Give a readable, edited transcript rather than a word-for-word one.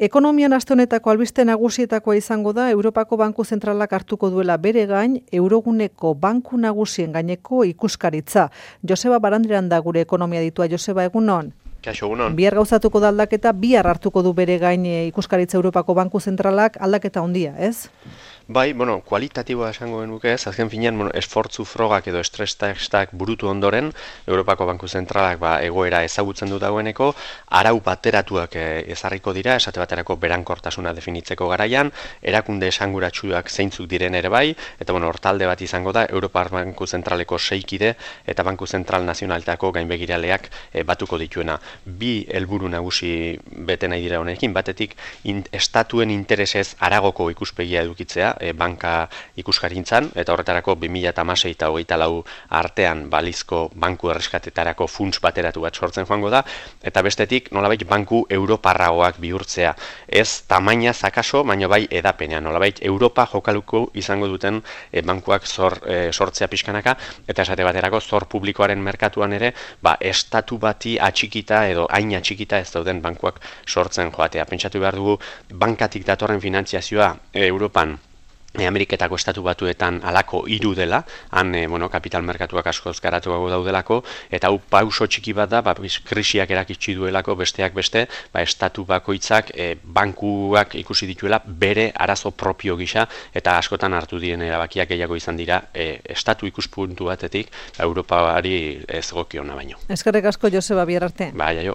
Ekonomian aste honetako albiste nagusietakoa izango da Europako Banku Zentralak hartuko duela bere gain euroguneko banku nagusien gaineko ikuskaritza. Joseba Barandiran da gure ekonomia ditua. Joseba, egunon. Kaixo, egunon. Bihar gauzatuko da aldaketa, bihar hartuko du bere gain ikuskaritza Europako Banku Zentralak, aldaketa handia, ez? Bai, kualitatiboa esango genuke ez, azken finean, esfortzu frogak edo stres testak burutu ondoren, Europako Banku Zentralak egoera ezagutzen du dagoeneko, arau bateratuak ezarriko dira, esate baterako berankortasuna definitzeko garaian, erakunde esanguratsuak zeintzuk diren ere bai, eta hortalde bat izango da, Europar Banku Zentraleko 6 kide eta Banku Zentral Nazionaltako gainbegiraleak batuko dituena. Bi helburu nagusi bete nahi dira honekin, batetik estatuen interesez aragoko ikuspegia edukitzea, banka ikuskarintzan, eta horretarako 2016 eta 2024 artean balizko banku erreskatetarako funts bateratu bat sortzen joango da, eta bestetik nolabait banku europarragoak bihurtzea. Ez tamaina zakaso, baina bai edapenean, nolabait Europa jokaluko izango duten bankuak sortzea pixkanaka, eta esate baterako zor publikoaren merkatuan ere, estatu bati atxikita edo hain atxikita ez dauden bankuak sortzen joatea. Pentsatu behar dugu, bankatik datorren finantziazioa Europan Ameriketako estatu batuetan alako 3 dela, han kapital merkatuak askoz garatuago daudelako, eta hau pauso txiki bat da, krisiak erakitsi duelako besteak beste, estatu bakoitzak bankuak ikusi dituela bere arazo propio gisa, eta askotan hartu diren erabakiak gehiago izan dira estatu ikuspuntu batetik, Europari ez gokiona baino. Eskerrik asko, Joseba, bihar arte. Bai, aio.